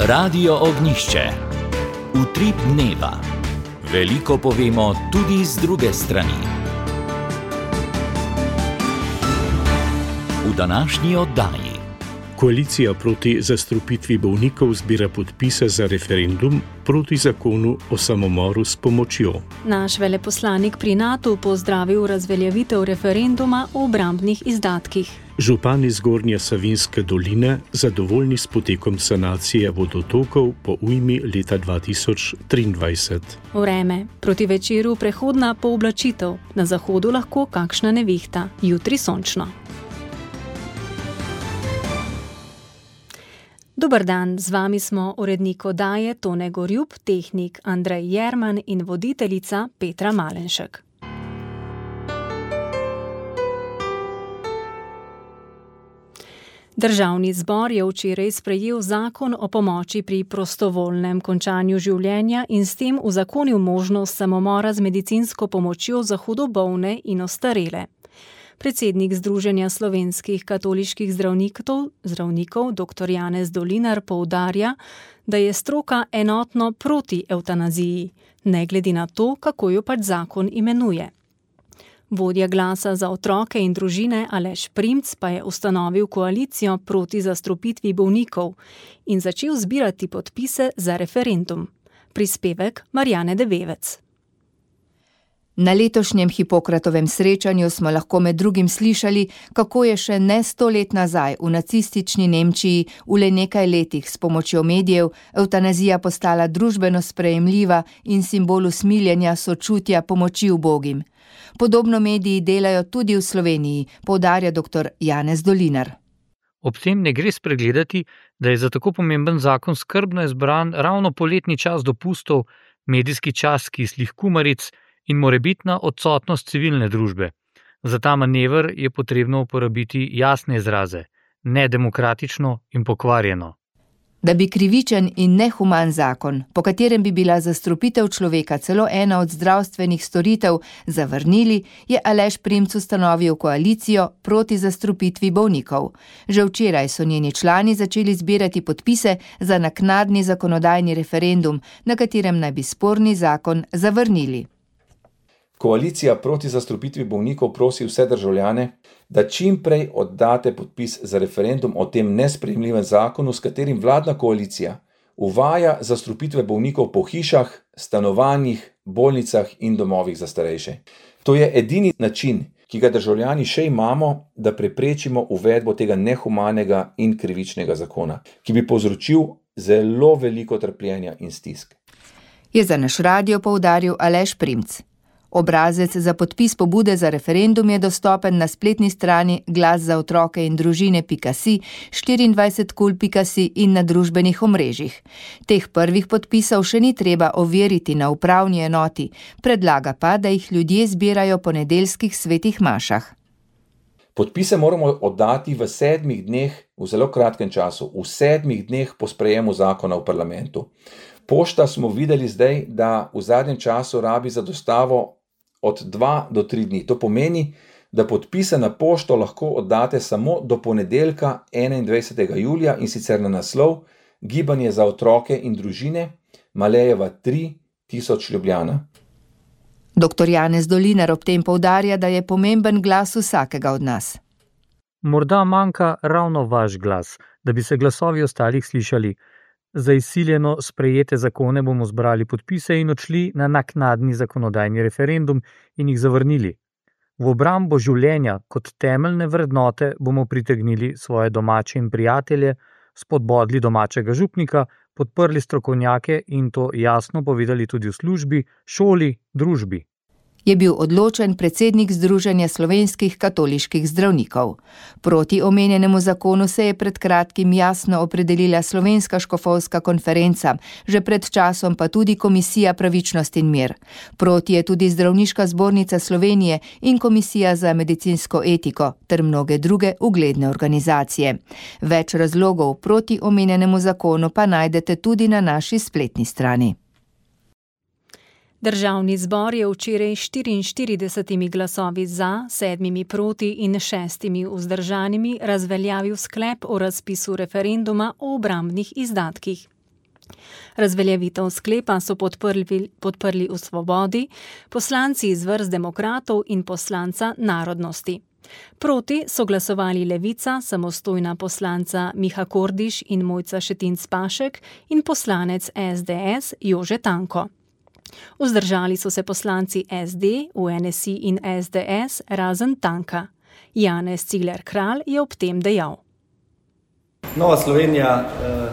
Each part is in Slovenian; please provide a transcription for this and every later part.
Radio Ognjišče. Utrip dneva. Veliko povemo tudi z druge strani. V današnji oddaji. Koalicija proti zastrupitvi bolnikov zbira podpise za referendum proti zakonu o samomoru s pomočjo. Naš veleposlanik pri NATO pozdravil razveljavitev referenduma o obrambnih izdatkih. Župani Zgornje Savinjske doline zadovoljni s potekom sanacije vodotokov po ujmi leta 2023. Vreme. Proti večeru prehodna pooblačitev. Na zahodu lahko kakšna nevihta. Jutri sončno. Dober dan, z vami smo urednik oddaje Tone Gorjup, tehnik Andrej Jerman in voditeljica Petra Malenšek. Državni zbor je včeraj sprejel zakon o pomoči pri prostovoljnem končanju življenja in s tem uzakonil možnost samomora z medicinsko pomočjo za hudo bolne in ostarele. Predsednik Združenja slovenskih katoliških zdravnikov dr. Janez Dolinar poudarja, da je stroka enotno proti evtanaziji, ne glede na to, kako jo pač zakon imenuje. Vodja Glasa za otroke in družine Aleš Primc pa je ustanovil koalicijo proti zastrupitvi bolnikov in začel zbirati podpise za referendum. Prispevek Marjane Debevec. Na letošnjem Hipokratovem srečanju smo lahko med drugim slišali, kako je še ne 100 let nazaj v nacistični Nemčiji v le nekaj letih s pomočjo medijev evtanazija postala družbeno sprejemljiva in simbol usmiljenja, sočutja, pomoči ubogim. Podobno mediji delajo tudi v Sloveniji, poudarja dr. Janez Dolinar. Ob tem ne gre spregledati, da je za tako pomemben zakon skrbno izbran ravno poletni čas dopustov, medijski čas kislih kumaric in morebitna odsotnost civilne družbe. Za ta manever je potrebno uporabiti jasne izraze, nedemokratično in pokvarjeno. Da bi krivičen in nehuman zakon, po katerem bi bila zastrupitev človeka celo ena od zdravstvenih storitev, zavrnili, je Aleš Primc ustanovil koalicijo proti zastrupitvi bolnikov. Že včeraj so njeni člani začeli zbirati podpise za naknadni zakonodajni referendum, na katerem naj bi sporni zakon zavrnili. Koalicija proti zastrupitvi bolnikov prosi vse državljane, da čim prej oddate podpis za referendum o tem nesprejemljivem zakonu, s katerim vladna koalicija uvaja zastrupitve bolnikov po hišah, stanovanjih, bolnicah in domovih za starejše. To je edini način, ki ga državljani še imamo, da preprečimo uvedbo tega nehumanega in krivičnega zakona, ki bi povzročil zelo veliko trpljenja in stisk. Je za naš radio poudaril Aleš Primc. Obrazec za podpis pobude za referendum je dostopen na spletni strani glaszaotrokeindružine.si, 24kul.si in na družbenih omrežjih. Teh prvih podpisov še ni treba overiti na upravni enoti, predlaga pa, da jih ljudje zbirajo po nedeljskih svetih mašah. Podpise moramo oddati v 7 dneh, v zelo kratkem času, v 7 dneh po sprejemu zakona v parlamentu. Pošta smo videli zdaj, da v zadnjem času rabi za dostavo od 2 do 3 dni. To pomeni, da podpise na pošto lahko oddate samo do ponedeljka 21. julija in sicer na naslov Gibanje za otroke in družine, Malejeva 3, 1000 Ljubljana. Dr. Janez Dolinar ob tem poudarja, da je pomemben glas vsakega od nas. Morda manjka ravno vaš glas, da bi se glasovi ostalih slišali. Za izsiljeno sprejete zakone bomo zbrali podpise in odšli na naknadni zakonodajni referendum in jih zavrnili. V obrambo življenja kot temeljne vrednote bomo pritegnili svoje domače in prijatelje, spodbodli domačega župnika, podprli strokovnjake in to jasno povedali tudi v službi, šoli, družbi. Je bil odločen predsednik Združenja slovenskih katoliških zdravnikov. Proti omenjenemu zakonu se je pred kratkim jasno opredelila Slovenska škofovska konferenca, že pred časom pa tudi Komisija pravičnost in mir. Proti je tudi Zdravniška zbornica Slovenije in Komisija za medicinsko etiko ter mnoge druge ugledne organizacije. Več razlogov proti omenjenemu zakonu pa najdete tudi na naši spletni strani. Državni zbor je včeraj 44 glasovi za, 7 proti in 6 vzdržanimi razveljavil sklep o razpisu referenduma o obrambnih izdatkih. Razveljavitev sklepa so podprli v Svobodi, poslanci iz vrst demokratov in poslanca Narodnosti. Proti so glasovali Levica, samostojna poslanca Miha Kordiš in Mojca Šetinc Pašek in poslanec SDS Jože Tanko. Vzdržali so se poslanci SD, UNSI in SDS razen Tanka. Janez Cigler Kralj je ob tem dejal. Nova Slovenija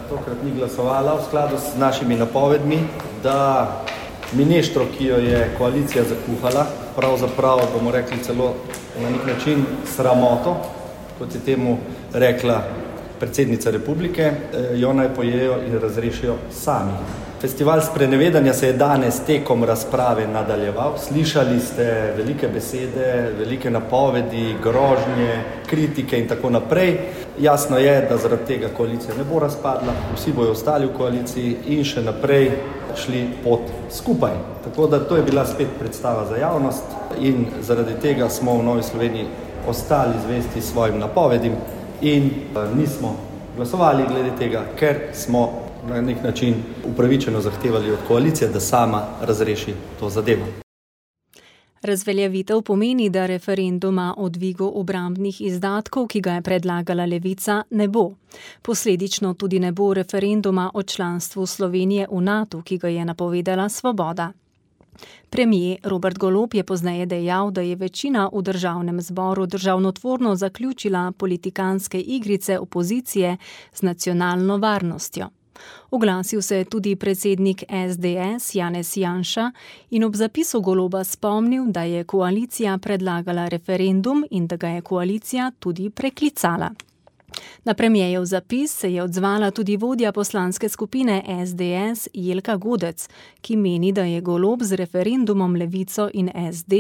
tokrat ni glasovala v skladu s našimi napovedmi, da mineštro, ki jo je koalicija zakuhala, pravzaprav bomo rekli celo na nek način sramoto, kot je temu rekla predsednica republike, jo naj pojejo in razrešijo sami. Festival sprenevedanja se je danes tekom razprave nadaljeval. Slišali ste velike besede, velike napovedi, grožnje, kritike in tako naprej. Jasno je, da zaradi tega koalicija ne bo razpadla, vsi bojo ostali v koaliciji in še naprej šli pot skupaj. Tako da to je bila spet predstava za javnost in zaradi tega smo v Novi Sloveniji ostali zvesti svojim napovedim in nismo glasovali glede tega, ker smo na nek način upravičeno zahtevali od koalicije, da sama razreši to zadevo. Razveljavitev pomeni, da referenduma o dvigu obrambnih izdatkov, ki ga je predlagala Levica, ne bo. Posledično tudi ne bo referenduma o članstvu Slovenije v NATO, ki ga je napovedala Svoboda. Premier Robert Golob je pozneje dejal, da je večina v državnem zboru državnotvorno zaključila politikanske igrice opozicije z nacionalno varnostjo. Oglasil se je tudi predsednik SDS Janez Janša in ob zapisu Goloba spomnil, da je koalicija predlagala referendum in da ga je koalicija tudi preklicala. Na premierjev zapis se je odzvala tudi vodja poslanske skupine SDS Jelka Godec, ki meni, da je Golob z referendumom Levico in SD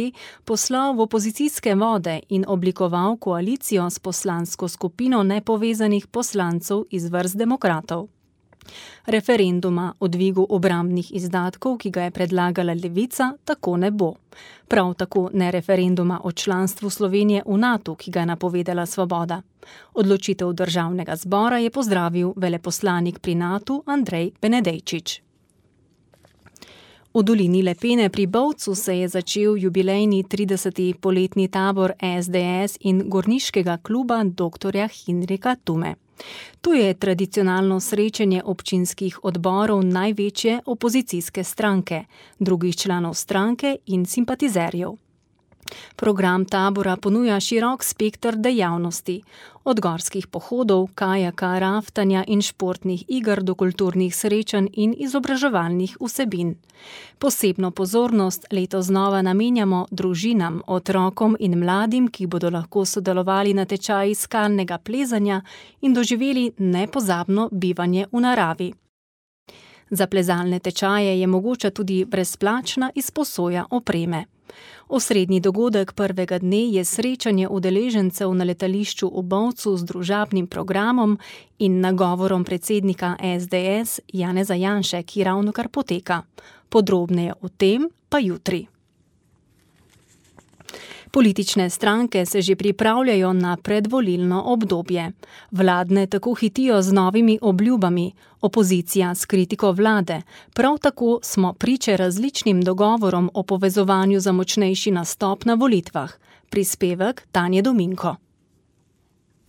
poslal v opozicijske vode in oblikoval koalicijo s poslansko skupino nepovezanih poslancev iz vrst demokratov. Referenduma o dvigu obrambnih izdatkov, ki ga je predlagala Levica, tako ne bo. Prav tako ne referenduma o članstvu Slovenije v NATO, ki ga je napovedala Svoboda. Odločitev državnega zbora je pozdravil veleposlanik pri NATO Andrej Benedejčič. V dolini Lepene pri Bovcu se je začel jubilejni 30. poletni tabor SDS in gorniškega kluba dr. Hinrika Tume. To je tradicionalno srečanje občinskih odborov največje opozicijske stranke, drugih članov stranke in simpatizerjev. Program tabora ponuja širok spekter dejavnosti, od gorskih pohodov, kajaka, raftanja in športnih iger do kulturnih srečanj in izobraževalnih vsebin. Posebno pozornost letos znova namenjamo družinam, otrokom in mladim, ki bodo lahko sodelovali na tečaji skalnega plezanja in doživeli nepozabno bivanje v naravi. Za plezalne tečaje je mogoča tudi brezplačna izposoja opreme. Osrednji dogodek prvega dne je srečanje udeležencev na letališču v Bovcu z družabnim programom in nagovorom predsednika SDS Janeza Janše, ki ravnokar poteka. Podrobneje o tem pa jutri. Politične stranke se že pripravljajo na predvolilno obdobje. Vladne tako hitijo z novimi obljubami, opozicija s kritiko vlade. Prav tako smo priče različnim dogovorom o povezovanju za močnejši nastop na volitvah. Prispevek Tanje Dominko.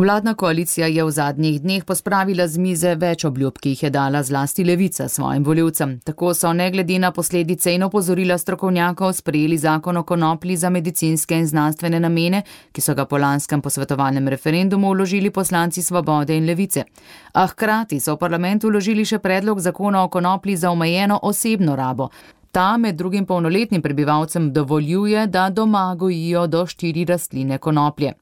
Vladna koalicija je v zadnjih dneh pospravila z mize več obljub, ki jih je dala zlasti Levica svojim volivcem. Tako so ne glede na posledice in opozorila strokovnjakov sprejeli zakon o konoplji za medicinske in znanstvene namene, ki so ga po lanskem posvetovalnem referendumu vložili poslanci Svobode in Levice. A hkrati so v parlamentu vložili še predlog zakona o konoplji za omejeno osebno rabo. Ta med drugim polnoletnim prebivalcem dovoljuje, da doma gojijo do 4 rastline konoplje.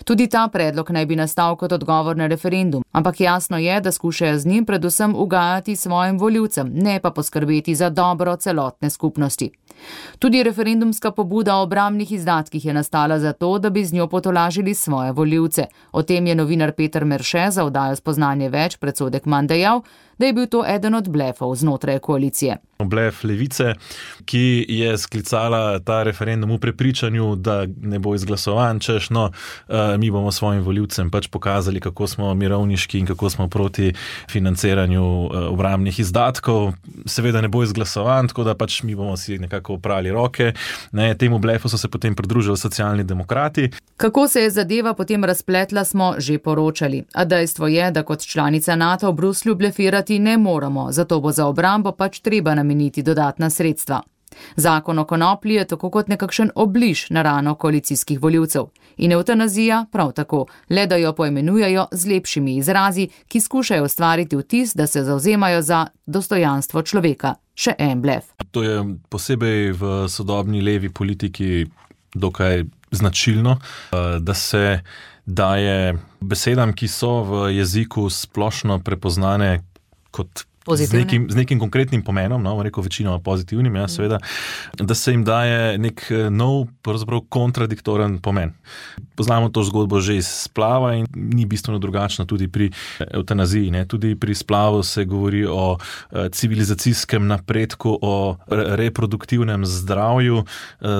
Tudi ta predlog naj bi nastal kot odgovor na referendum, ampak jasno je, da skušajo z njim predvsem ugajati svojim volivcem, ne pa poskrbeti za dobro celotne skupnosti. Tudi referendumska pobuda o obrambnih izdatkih je nastala zato, da bi z njo potolažili svoje volivce. O tem je novinar Peter Merše za oddajo Spoznanje več predsodek manj dejal, da je bil to eden od blefov znotraj koalicije. Blef Levice, ki je sklicala ta referendum v prepričanju, da ne bo izglasovan, češ, mi bomo svojim volivcem pač pokazali, kako smo mirovniški in kako smo proti financiranju obrambnih izdatkov. Seveda ne bo izglasovan, tako da pač mi bomo si nekako oprali roke. Temu blefu so se potem pridružili Socialni demokrati. Kako se je zadeva potem razpletla, smo že poročali. A dejstvo je, da kot članica NATO v Bruslju blefirati ne moramo, zato bo za obrambo pač treba nameniti dodatna sredstva. Zakon o konoplji je tako kot nekakšen obliž na rano koalicijskih volivcev. In evtanazija prav tako, le da jo poimenujejo z lepšimi izrazi, ki skušajo ustvariti vtis, da se zavzemajo za dostojanstvo človeka. Še en blef. To je posebej v sodobni levi politiki dokaj značilno, da se daje besedam, ki so v jeziku splošno prepoznane kot z nekim konkretnim pomenom, rekel večinoma pozitivnim, seveda, da se jim daje nek nov, pravzaprav kontradiktoren pomen. Poznamo to zgodbo že iz splava in ni bistveno drugačno tudi pri evtanaziji. Tudi pri splavu se govori o civilizacijskem napredku, o reproduktivnem zdravju,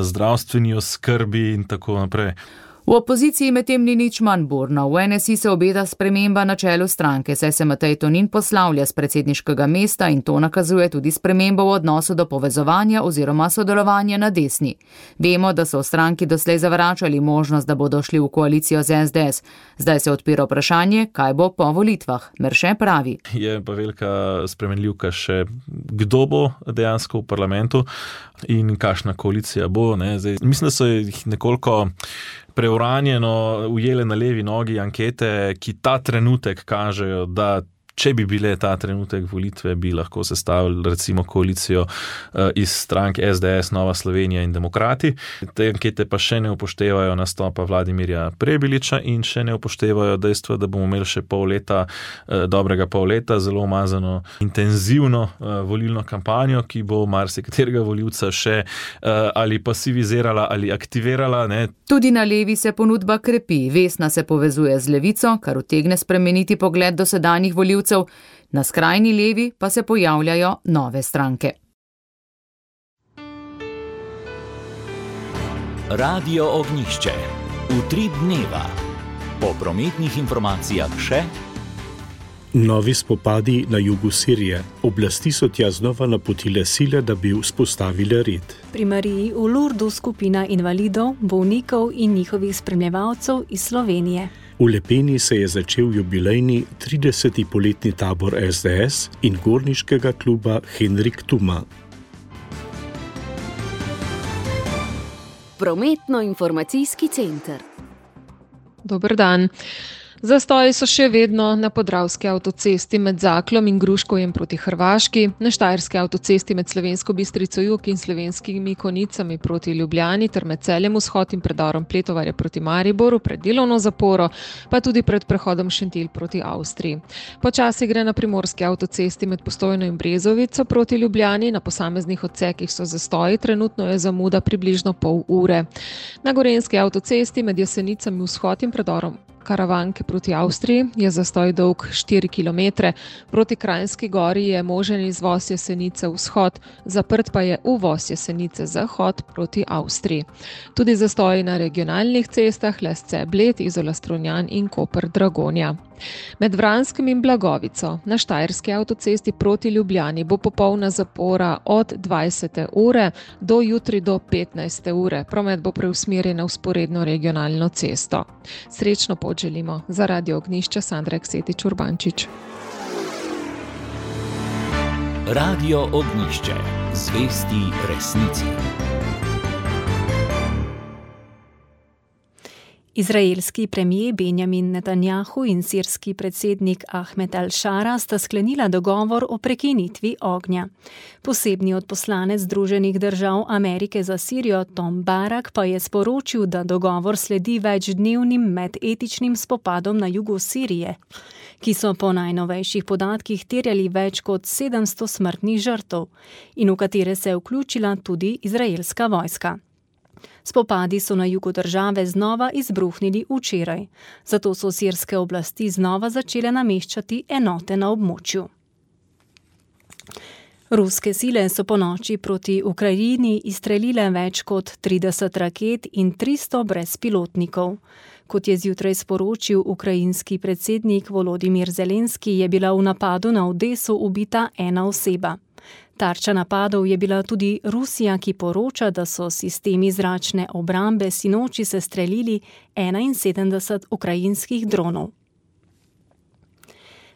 zdravstveni oskrbi in tako naprej. V opoziciji medtem ni nič manj burno. V NSI se obeta sprememba na čelu stranke, saj se Matej Tonin poslavlja s predsedniškega mesta in to nakazuje tudi spremembo v odnosu do povezovanja oziroma sodelovanja na desni. Vemo, da so v stranki doslej zavračali možnost, da bodo šli v koalicijo z SDS. Zdaj se odpira vprašanje, kaj bo po volitvah. Merše pravi. Je pa velika spremenljivka še, kdo bo dejansko v parlamentu in kakšna koalicija bo. Zdaj, mislim, da so jih nekoliko preuranjeno ujele na levi nogi ankete, ki ta trenutek kažejo, da če bi bile ta trenutek volitve, bi lahko sestavili recimo koalicijo iz strank SDS, Nova Slovenija in Demokrati. Te ankete pa še ne upoštevajo nastopa Vladimirja Prebiliča in še ne upoštevajo dejstva, da bomo imeli še dobrega pol leta, zelo umazano, intenzivno volilno kampanjo, ki bo marsikaterega volivca še ali pasivizirala ali aktivirala. Tudi na levi se ponudba krepi. Vesna se povezuje z levico, kar utegne spremeniti pogled dosedanjih volivcev. Na skrajni levi pa se pojavljajo nove stranke. Radio Ognjišče. Utrip dneva. Po prometnih informacijah še novi spopadi na jugu Sirije. Oblasti so tja znova napotile sile, da bi vzpostavile red. Pri Mariji v Lurdu skupina invalidov, bolnikov in njihovih spremljevalcev iz Slovenije. V Lepeni se je začel jubilejni 30. poletni tabor SDS in gorniškega kluba Henrik Tuma. Prometno-informacijski center. Dober dan. Zastoji so še vedno na Podravski avtocesti med Zaklom in Gruškovjem proti Hrvaški, na Štajerski avtocesti med Slovensko Bistrico jug in Slovenskimi Konicami proti Ljubljani ter med Celjem vzhod in predorom Pletovarja proti Mariboru pred delovno zaporo, pa tudi pred prehodom Šentilj proti Avstriji. Počasi gre na Primorski avtocesti med Postojno in Brezovico proti Ljubljani, na posameznih odsekih so zastoji, trenutno je zamuda približno pol ure. Na Gorenjski avtocesti med Jesenicami vzhod in predorom Karavanke proti Avstriji je zastoj dolg 4 km, proti Kranjski gori je možen izvoz Jesenice vzhod, zaprt pa je uvoz Jesenice zahod proti Avstriji. Tudi zastoji na regionalnih cestah Lesce Bled, Izola Strunjan in Koper Dragonja. Med Vranskim in Blagovico na Štajerski avtocesti proti Ljubljani bo popolna zapora od 20. ure do jutri do 15. ure. Promet bo preusmerjen na vzporedno regionalno cesto. Srečno pot želimo. Za Radio Ognjišče Sandra Eksetič Urbančič. Radio Ognjišče. Zvesti resnici. Izraelski premijer Benjamin Netanjahu in sirski predsednik Ahmed al-Šara sta sklenila dogovor o prekinitvi ognja. Posebni odposlanec Združenih držav Amerike za Sirijo Tom Barak pa je sporočil, da dogovor sledi večdnevnim medetičnim spopadom na jugu Sirije, ki so po najnovejših podatkih terjali več kot 700 smrtnih žrtev in v katere se je vključila tudi izraelska vojska. Spopadi so na jugu države znova izbruhnili včeraj, zato so sirske oblasti znova začele nameščati enote na območju. Ruske sile so ponoči proti Ukrajini izstrelile več kot 30 raket in 300 brezpilotnikov. Kot je zjutraj sporočil ukrajinski predsednik Volodimir Zelenski, je bila v napadu na Odeso ubita ena oseba. Tarča napadov je bila tudi Rusija, ki poroča, da so sistemi zračne obrambe sinoči sestrelili 71 ukrajinskih dronov.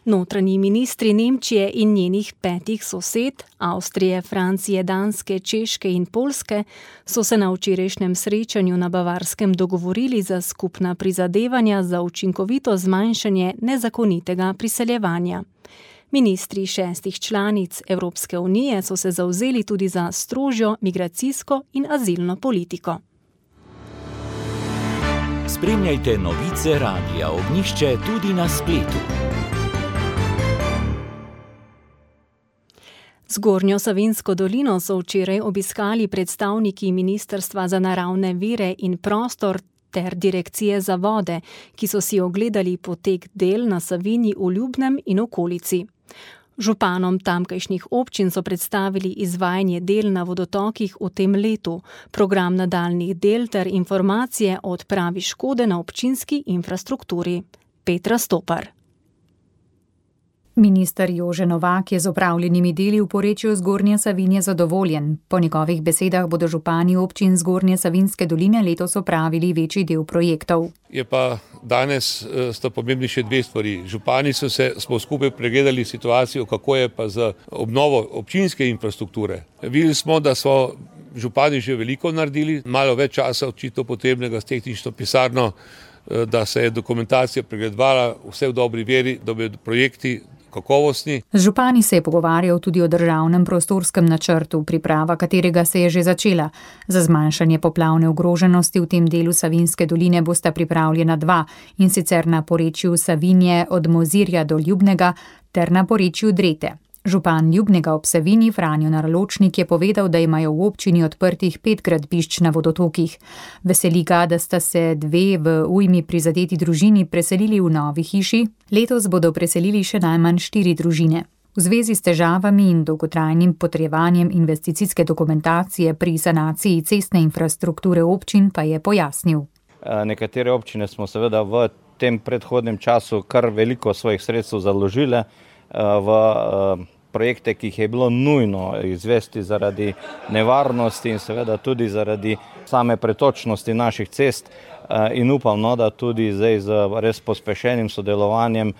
Notranji ministri Nemčije in njenih 5 sosed, Avstrije, Francije, Danske, Češke in Poljske, so se na včerajšnjem srečanju na Bavarskem dogovorili za skupna prizadevanja za učinkovito zmanjšanje nezakonitega priseljevanja. Ministri 6 članic Evropske unije so se zavzeli tudi za strožjo migracijsko in azilno politiko. Spremljajte novice Radia Ognjišče tudi na spletu. Zgornjo Savinjsko dolino so včeraj obiskali predstavniki Ministrstva za naravne vire in prostor ter Direkcije za vode, ki so si ogledali potek del na Savinji v Ljubnem in okolici. Županom tamkajšnjih občin so predstavili izvajanje del na vodotokih v tem letu, program nadaljnjih del ter informacije o odpravi škode na občinski infrastrukturi. Petra Stopar. Minister Jože Novak je z opravljenimi deli v porečju Zgornje Savinje zadovoljen. Po njegovih besedah bodo župani občin Zgornje Savinjske doline letos opravili večji del projektov. Je pa danes sta pomembni še 2 stvari. Župani smo skupaj pregledali situacijo, kako je pa z obnovo občinske infrastrukture. Videli smo, da so župani že veliko naredili, malo več časa očitno potrebnega s tehnično pisarno, da se je dokumentacija pregledovala vse v dobri veri, da bodo projekti kakovostni. Z župani se je pogovarjal tudi o državnem prostorskem načrtu, priprava katerega se je že začela. Za zmanjšanje poplavne ogroženosti v tem delu Savinjske doline bosta pripravljena 2, in sicer na porečju Savinje od Mozirja do Ljubnega ter na porečju Drete. Župan Ljubnega ob Savinji Franjo Naraločnik je povedal, da imajo v občini odprtih 5 gradbišč na vodotokih. Veseli ga, da sta se 2 v ujmi prizadeti družini preselili v novi hiši. Letos bodo preselili še najmanj 4 družine. V zvezi s težavami in dolgotrajnim potrjevanjem investicijske dokumentacije pri sanaciji cestne infrastrukture občin pa je pojasnil. Nekatere občine smo seveda v tem predhodnem času kar veliko svojih sredstev založile v projekte, ki jih je bilo nujno izvesti zaradi nevarnosti in seveda tudi zaradi same pretočnosti naših cest, in upam, da tudi zdaj z res pospešenim sodelovanjem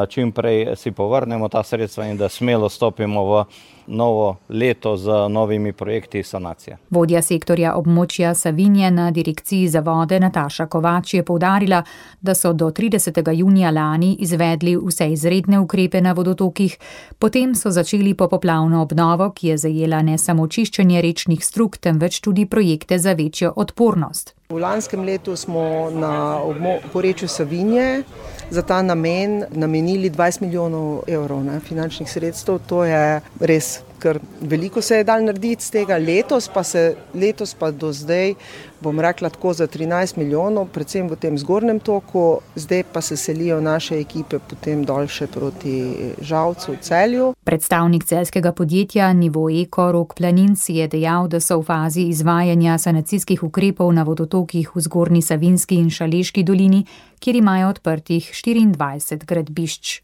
čim prej si povrnemo ta sredstva in da smelo stopimo v novo leto z novimi projekti sanacije. Vodja sektorja območja Savinje na Direkciji za vode Nataša Kovač je poudarila, da so do 30. junija lani izvedli vse izredne ukrepe na vodotokih, potem so začeli popoplavno obnovo, ki je zajela ne samo čiščenje rečnih strug, temveč tudi projekte za večjo odpornost. V lanskem letu smo na porečju Savinje za ta namen namenili 20 milijonov evrov finančnih sredstev. To je res, ker veliko se je dal narediti z tega. Letos pa do zdaj, bom rekla tako, za 13 milijonov, predvsem v tem zgornjem toku, zdaj pa se selijo naše ekipe potem dol še proti Žalcu v Celju. Predstavnik celjskega podjetja Nivo Eko Rok Planinc je dejal, da so v fazi izvajanja sanacijskih ukrepov na vodotokih v Zgornji Savinjski in Šaleški dolini, kjer imajo odprtih 24 gradbišč.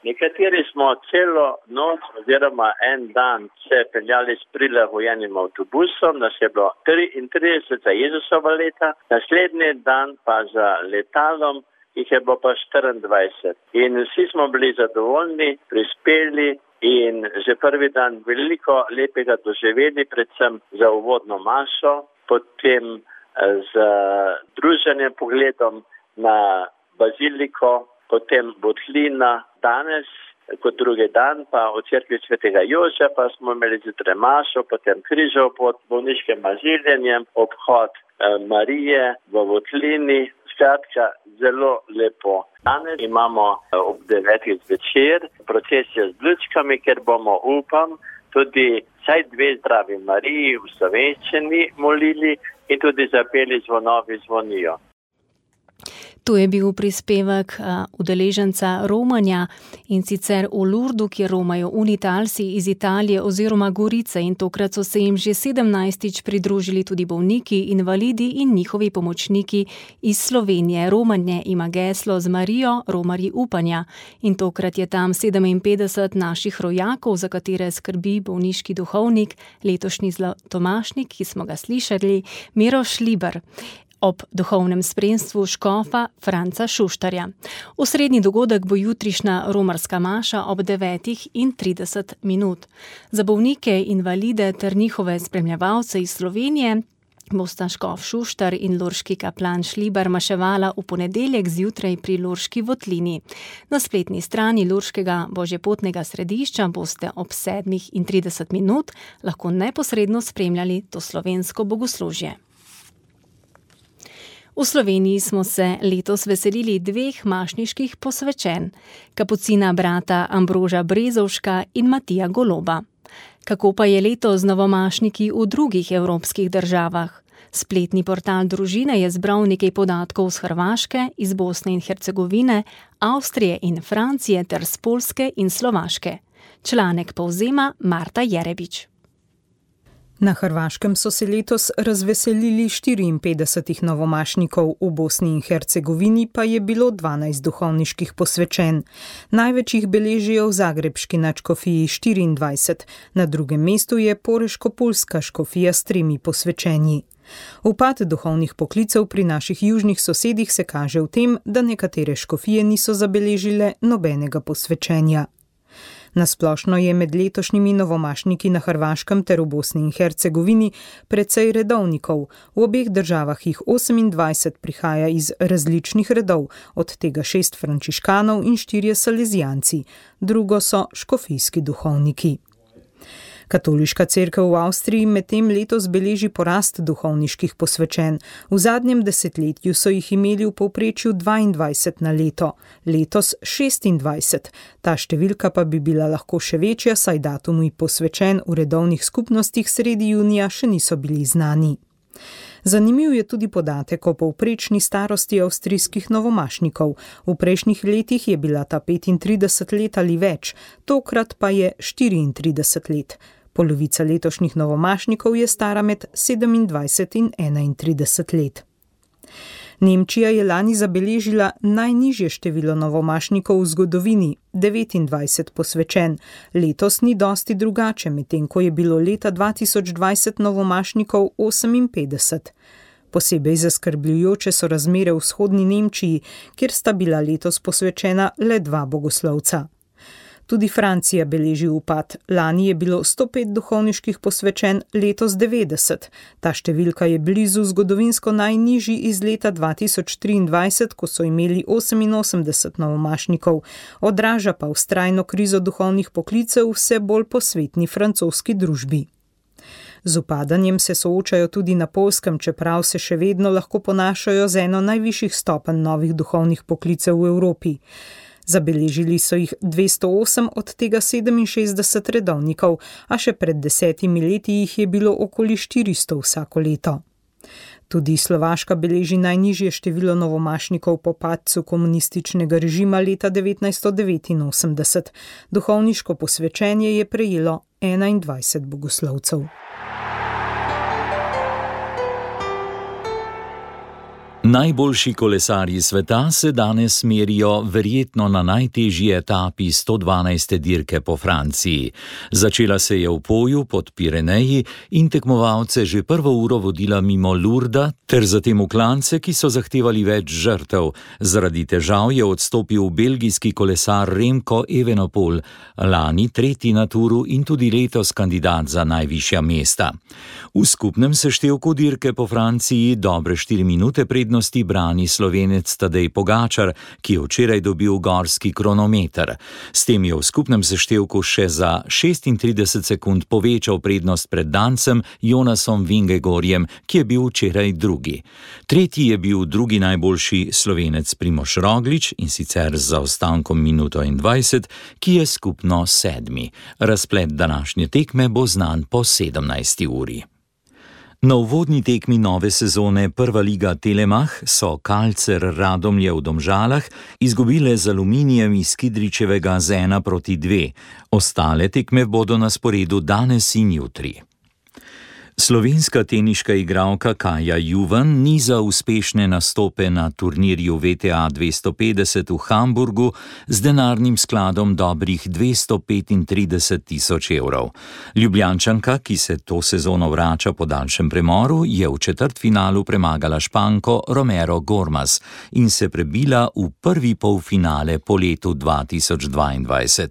Nekateri smo celo noč oziroma en dan se peljali s prilagojenim avtobusom, nas je bilo 33 za Jezusova leta, naslednji dan pa za letalom jih je bilo pa 24. In vsi smo bili zadovoljni, prispeli in že prvi dan veliko lepega doživeli, predvsem za uvodno mašo, potem z druženjem pogledom na baziliko, potem Botlina, danes kot drugi dan pa v cerkvi svetega Jožefa smo imeli zjutraj mašo, potem križev pod bolniškim maziljenjem, obhod Marije v Botlini, skratka zelo lepo. Danes imamo ob 9. zvečer procesijo z lučkami, ker bomo, upam, tudi vsaj 2 zdravi Mariji v slovenščini molili in tudi zapeli Zvonovi zvonijo. To je bil prispevek udeleženca romanja, in sicer v Lurdu, kjer romajo unitalci iz Italije oziroma Gorice, in tokrat so se jim že 17. pridružili tudi bolniki, invalidi in njihovi pomočniki iz Slovenije. Romanje ima geslo Z Marijo, romarji upanja, in tokrat je tam 57 naših rojakov, za katere skrbi bolniški duhovnik, letošnji zlatomašnik, ki smo ga slišali, Miro Šliber, ob duhovnem spremstvu škofa Franca Šuštarja. Osrednji dogodek bo jutrišnja romarska maša ob 9:30. Za bolnike, invalide ter njihove spremljevalce iz Slovenije bosta škof Šuštar in lurški kaplan Šlibar maševala v ponedeljek zjutraj pri Lurški votlini. Na spletni strani Lurškega božjepotnega središča boste ob 7:30 lahko neposredno spremljali to slovensko bogoslužje. V Sloveniji smo se letos veselili 2 mašniških posvečenj, kapucina brata Ambroža Brezovška in Matija Goloba. Kako pa je letos z novomašniki v drugih evropskih državah? Spletni portal družine je zbral nekaj podatkov z Hrvaške, iz Bosne in Hercegovine, Avstrije in Francije ter z Poljske in Slovaške. Članek povzema Marta Jerebič. Na Hrvaškem so se letos razveselili 54 novomašnikov, v Bosni in Hercegovini pa je bilo 12 duhovniških posvečenj. Največ jih beležijo v zagrebški nadškofiji 24, na drugem mestu je poreško-pulska škofija s 3 posvečenji. Upad duhovnih poklicev pri naših južnih sosedih se kaže v tem, da nekatere škofije niso zabeležile nobenega posvečenja. Nasplošno je med letošnjimi novomašniki na Hrvaškem ter v Bosni in Hercegovini precej redovnikov. V obeh državah jih 28 prihaja iz različnih redov, od tega 6 frančiškanov in 4 salezijanci, drugo so škofijski duhovniki. Katoliška cerkev v Avstriji medtem letos beleži porast duhovniških posvečenj. V zadnjem desetletju so jih imeli v povprečju 22 na leto, letos 26. Ta številka pa bi bila lahko še večja, saj datumi posvečenj v redovnih skupnostih sredi junija še niso bili znani. Zanimiv je tudi podatek o povprečni starosti avstrijskih novomašnikov. V prejšnjih letih je bila ta 35 let ali več, tokrat pa je 34 let. Polovica letošnjih novomašnikov je stara med 27 in 31 let. Nemčija je lani zabeležila najnižje število novomašnikov v zgodovini, 29 posvečenj. Letos ni dosti drugače, medtem ko je bilo leta 2020 novomašnikov 58. Posebej zaskrbljujoče so razmere v vzhodni Nemčiji, kjer sta bila letos posvečena le 2 bogoslovca. Tudi Francija beleži upad. Lani je bilo 105 duhovniških posvečenj, letos 90. Ta številka je blizu zgodovinsko najnižji iz leta 2023, ko so imeli 88 novomašnikov. Odraža pa vztrajno krizo duhovnih poklicev vse bolj posvetni francoski družbi. Z upadanjem se soočajo tudi na Poljskem, čeprav se še vedno lahko ponašajo z eno najvišjih stopenj novih duhovnih poklicev v Evropi. Zabeležili so jih 208, od tega 67 redovnikov, a še pred 10 leti jih je bilo okoli 400 vsako leto. Tudi Slovaška beleži najnižje število novomašnikov po padcu komunističnega režima leta 1989. Duhovniško posvečenje je prejelo 21 bogoslovcev. Najboljši kolesarji sveta se danes merijo verjetno na najtežji etapi 112. dirke po Franciji. Začela se je v Poju pod Pireneji in tekmovalce že prvo uro vodila mimo Lurda ter zatem v klance, ki so zahtevali več žrtev. Zaradi težav je odstopil belgijski kolesar Remco Evenepoel, lani 3. na Turu in tudi letos kandidat za najvišja mesta. V skupnem seštevku dirke po Franciji dobre 4 minute prednosti brani Slovenec Tadej Pogačar, ki je včeraj dobil gorski kronometer. S tem je v skupnem seštevku še za 36 sekund povečal prednost pred Dancem Jonasom Vingegorjem, ki je bil včeraj drugi. Tretji je bil drugi najboljši Slovenec Primož Roglič, in sicer z zaostankom minuto in 20, ki je skupno 7. Razplet današnje tekme bo znan po 17. uri. Na uvodni tekmi nove sezone Prva liga Telemach so Kalcer Radomlje v Domžalah izgubile z Aluminijem iz Kidričevega z 1-2. Ostale tekme bodo na sporedu danes in jutri. Slovenska teniška igralka Kaja Juvan niza uspešne nastope na turnirju VTA 250 v Hamburgu z denarnim skladom dobrih 235.000 evrov. Ljubljančanka, ki se to sezono vrača po daljšem premoru, je v četrtfinalu premagala Španko Romero Gormaz in se prebila v prvi polfinale po letu 2022.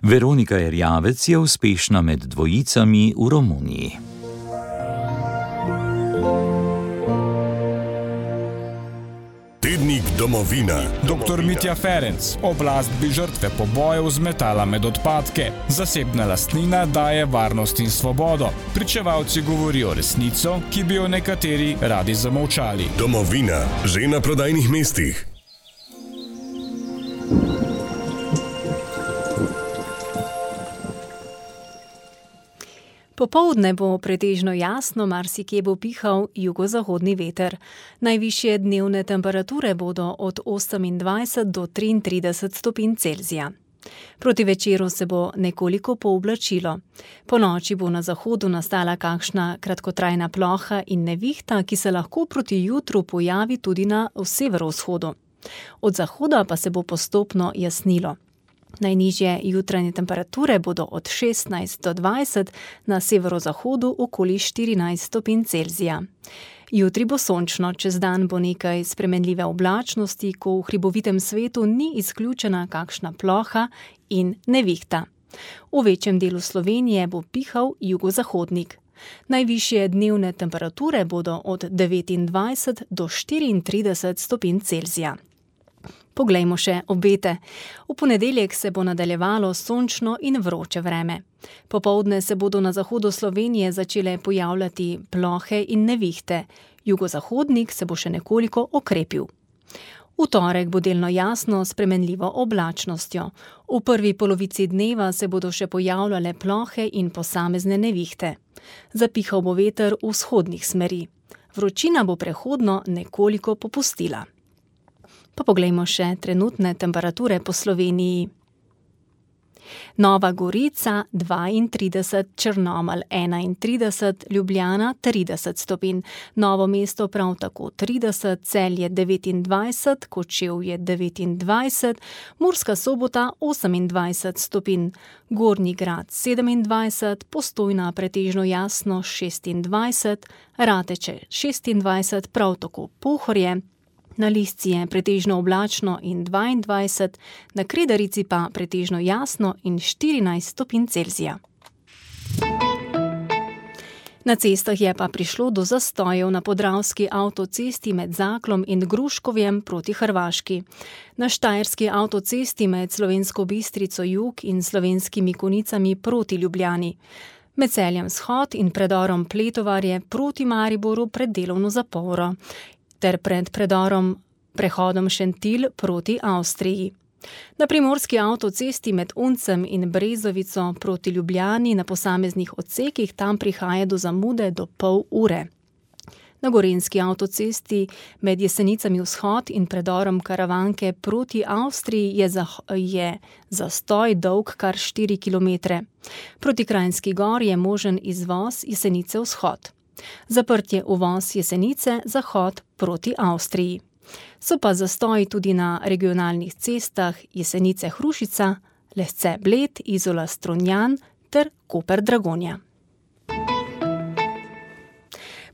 Veronika Erjavec je uspešna med dvojicami v Romuniji. Tednik Domovina. Dr. Mitja Ferenc. Oblast bi žrtve pobojev zmetala med odpadke. Zasebna lastnina daje varnost in svobodo. Pričevalci govorijo resnico, ki bi jo nekateri radi zamolčali. Domovina. Že na prodajnih mestih. Popoldne bo pretežno jasno, marsikje bo pihal jugozahodni veter. Najvišje dnevne temperature bodo od 28 do 33 stopinj Celzija. Proti večeru se bo nekoliko pooblačilo. Po noči bo na zahodu nastala kakšna kratkotrajna ploha in nevihta, ki se lahko proti jutru pojavi tudi na severovzhodu. Od zahoda pa se bo postopno jasnilo. Najnižje jutranje temperature bodo od 16 do 20, na severozahodu okoli 14 stopinj Celzija. Jutri bo sončno, čez dan bo nekaj spremenljive oblačnosti, ko v hribovitem svetu ni izključena kakšna ploha in nevihta. V večjem delu Slovenije bo pihal jugozahodnik. Najvišje dnevne temperature bodo od 29 do 34 stopinj Celzija. Poglejmo še obete. V ponedeljek se bo nadaljevalo sončno in vroče vreme. Popoldne se bodo na zahodu Slovenije začele pojavljati plohe in nevihte. Jugozahodnik se bo še nekoliko okrepil. V torek bo delno jasno s spremenljivo oblačnostjo. V prvi polovici dneva se bodo še pojavljale plohe in posamezne nevihte. Zapihal bo veter vzhodnih smeri. Vročina bo prehodno nekoliko popustila. Pa poglejmo še trenutne temperature po Sloveniji. Nova Gorica 32, Črnomelj 31, Ljubljana 30 stopinj, Novo mesto prav tako 30, Celje 29, Kočevje 29, Murska Sobota 28 stopinj, Gornji Grad 27, Postojna pretežno jasno 26, Rateče 26, prav tako Pohorje, na Lisci je pretežno oblačno in 22, na Kredarici pa pretežno jasno in 14 stopinj Celzija. Na cestah je pa prišlo do zastojev na podravski avtocesti med Zaklom in Gruškovjem proti Hrvaški. Na štajerski avtocesti med Slovensko Bistrico jug in Slovenskimi Konicami proti Ljubljani. Med Celjem Vzhod in predorom Pletovarje proti Mariboru pred delovno zaporo. Ter pred prehodom Šentilj proti Avstriji. Na primorski avtocesti med Uncem in Brezovico proti Ljubljani na posameznih odsekih tam prihaja do zamude do pol ure. Na gorenjski avtocesti med Jesenicami Vzhod in predorom Karavanke proti Avstriji je zastoj dolg kar 4 km. Proti Kranjski Gori je možen izvoz Jesenice Vzhod. Zaprtje uvoz Jesenice Zahod proti Avstriji. So pa zastoji tudi na regionalnih cestah Jesenice Hrušica, Lesce Bled, Izola Strunjan ter Koper Dragonja.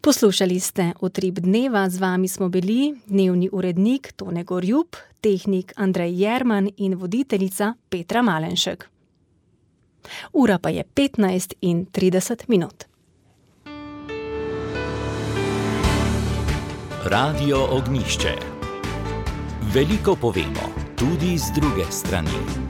Poslušali ste Utrip dneva, z vami smo bili dnevni urednik Tone Gorjup, tehnik Andrej Jerman in voditeljica Petra Malenšek. Ura pa je 15:30. Radio Ognjišče. Veliko povemo, tudi z druge strani.